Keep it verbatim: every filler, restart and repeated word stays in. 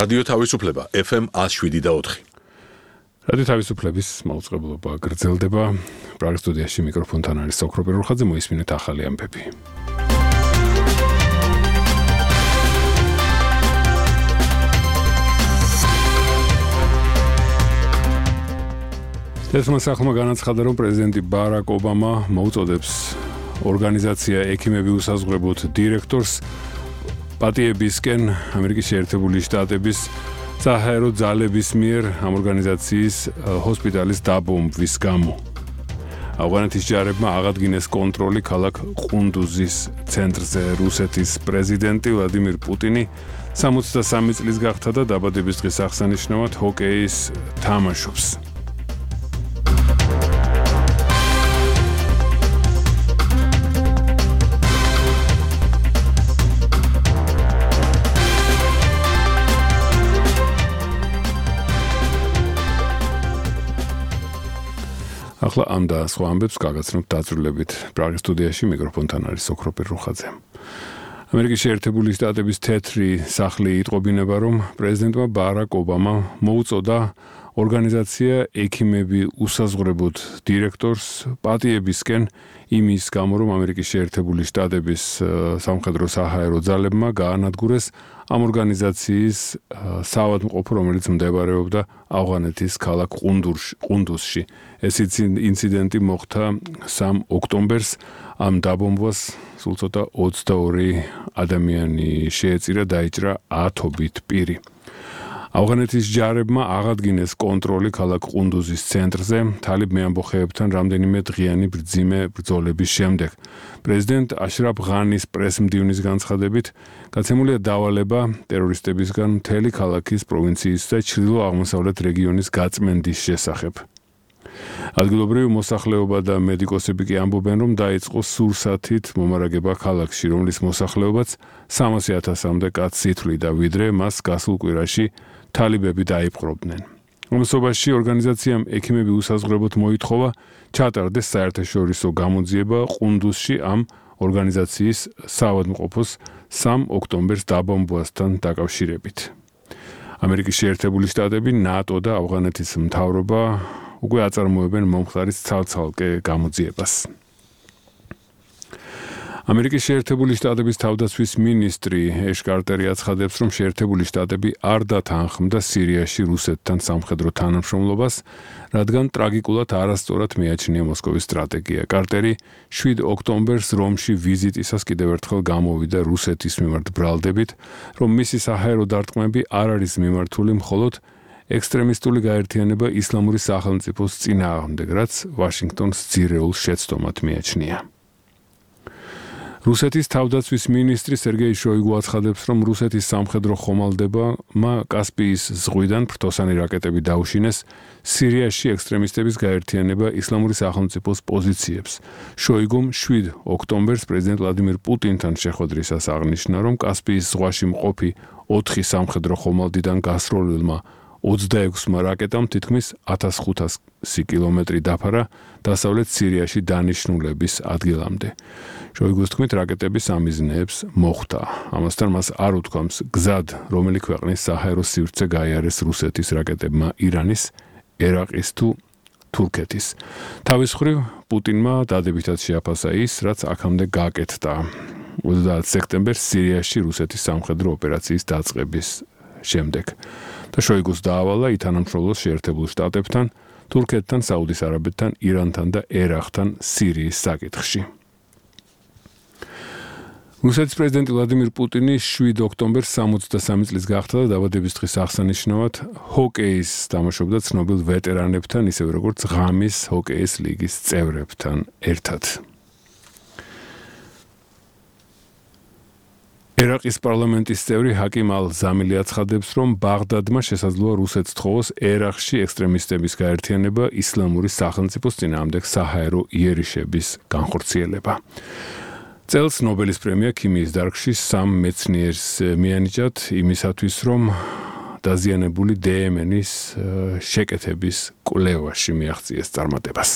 რადიო თავისუფლება ეფ ემ ათს შვიდი და ოთხი. რადიო თავისუფლების მაუწყებლობა გრძელდება. პრაღის სტუდიაში მიკროფონთან არის ოქრო პერუხაძე, მოისმინეთ ახალი ამბები. თეთრმა სახლმა განაცხადა, რომ პრეზიდენტი ბარაკ ობამა მოუწოდებს ორგანიზაცია ექიმები უსაზღვრებოდ დირექტორს პატიებისკენ ამერიკის შეერთებული შტატების საჰაერო ძალების მიერ ამ ორგანიზაციის ჰოსპიტალის დაბომბვის გამო. ავღანეთის ჯარებმა აღადგინეს კონტროლი ქალაქ ყუნდუზის ცენტრზე. რუსეთის პრეზიდენტი ვლადიმირ პუტინი სამოცდასამი წლის გახდა და დაბადების დღის აღსანიშნავად ჰოკეის თამაშობს. ახლა ამ და სხვა ამბებს გაგაცნობთ დაწვრილებით. პრაღის სტუდიაში მიკროფონთან არის ოქრო პერუხაძე. ამერიკის შეერთებული შტატების თეთრი სახლი იტყობინება, რომ პრეზიდენტმა ბარაკ ობამა მოუწოდა ორგანიზაცია ექიმები უსაზღვრებოდ დირექტორს პატიებისკენ იმის გამო, რომ ამერიკის შეერთებული შტატების სამხედრო საჰაერო ძალებმა გაანადგურეს ამ ორგანიზაციის საავადმყოფო, რომელიც მდებარეობდა ავღანეთის ქალაქ ყუნდუსში. ეს ინციდენტი მოხდა სამი ოქტომბერს. ამ დაბომბვას სულ ცოტა ოცდაორი ადამიანი შეეწირა, დაიჭრა ათობით პირი. ავღანეთის ჯარებმა აღადგინეს კონტროლი ქალაქ ყუნდუზის ცენტრზე თალიბ მეამბოხეებთან რამდენიმე დღიანი ბრძიმე ბრძოლების შემდეგ. პრეზიდენტ აშრაფ ღანის პრესმდივნის განცხადებით გაცემულია დავალება ტერორისტებისგან მთელი ქალაქის პროვინციის და ჩრდილო-აღმოსავლეთ რეგიონის გაწმენდის შესახებ. ადგილობრივი მოსახლეობა და მედიკოსები კი ამბობენ, რომ დაიწყო სურსათით მომარაგება ქალაქში, რომლის მოსახლეობაც სამასი ათასამდე კაცს ითვლიდა, ვიდრე მას გასულ კვირაში თალიბები დაიპყრობდნენ. ამასობაში ორგანიზაციამ ექიმები უსაზღვრებოდ მოითხოვა ჩატარდეს საერთაშორისო გამოძიება ყუნდუსში ამ ორგანიზაციის საავადმყოფოს სამი ოქტომბერს დაბომბვასთან დაკავშირებით. ამერიკის შეერთებული შტატები, ნატო და ავღანეთის მთავრობა უკვე აწარმოებენ მომხდარის ცალ-ცალკე გამოძიებას. ამერიკის შეერთებული შტატების თავდაცვის მინისტრი ეშ კარტერი აცხადებს, რომ შეერთებული შტატები არ დათანხმდა სირიაში რუსეთთან სამხედრო თანამშრომლობას, რადგან ტრაგიკულად არასწორად მიაჩნია მოსკოვის სტრატეგია. კარტერი შვიდ ოქტომბერს რომში ვიზიტისას კიდევ ერთხელ გამოვიდა რუსეთის მიმართ ბრალდებით, რომ მისი საჰაერო დარტყმები არ არის მიმართული მხოლოდ ექსტრემისტული გაერთიანება ისლამური სახელმწიფოს წინააღმდეგ, რაც ვაშინგტონს ძირეულ შეცდომად მიაჩნია. რუსეთის თავდაცვის მინისტრი სერგეი შოიგუ აცხადებს, რომ რუსეთის სამხედრო ხომალდებმა კასპიის ზღვიდან ფრთოსანი რაკეტები დაუშინეს სირიაში ექსტრემისტების გაერთიანება ისლამური სახელმწიფოს პოზიციებს. შოიგუმ შვიდ ოქტომბერს პრეზიდენტ ვლადიმირ პუტინთან შეხვედრისას აღნიშნა, რომ კასპიის ზღვაში მყოფი ოთხი სამხედრო ხომალდიდან გასროლილმა ოცდაექვსმა რაკეტამ თითქმის ათას ხუთასი კილომეტრი დაფარა დასავლეთ სირიაში დანიშნულების ადგილამდე. შოიგუს თქმით, რაკეტების ამიზნეებს მოხვდა. ამასთან მას არ უთქვამს გზად, რომელი ქვეყნის საჰაერო სივრცე გაიარეს რუსეთის რაკეტებმა ირანის, ერაყის თუ თურქეთის. თავის მხრივ პუტინმა დადებითად შეაფასა ის, რაც აქამდე გაკეთდა. ოცდაათი სექტემბერს სირიაში რუსეთის სამხედრო ოპერაციის დაწყების შემდეგ. და შოიგუს დაავალა ითანამშრომლოს შეერთებულ შტატებთან, თურქეთთან, საუდის არაბეთთან, ირანთან და ერაყთან სირიის საკითხში. რუსეთის პრეზიდენტი ვლადიმირ პუტინი შვიდ ოქტომბერს სამოცდასამი წლის გახდა და დაბადების დღის აღსანიშნავად ჰოკეის თამაშობდა ცნობილ ვეტერანებთან, ისევე როგორც ღამის ჰოკეის ლიგის წევრებთან ერთად. ერაყის პარლამენტის წევრი ჰაკიმ ალ-ზამილი აცხადებს, რომ ბაღდადმა შესაძლოა რუსეთს თხოვოს ერაყში ექსტრემისტების გაერთიანება ისლამური სახელმწიფოს წინააღმდეგ საჰაერო იერიშების განხორციელება. წელს ნობელის პრემია ქიმიის დარგში სამ მეცნიერს მიანიჭათ იმისათვის, რომ დაზიანებული დე ენ ეის შეკეთების კვლევაში მიაღწიეს წარმატებას.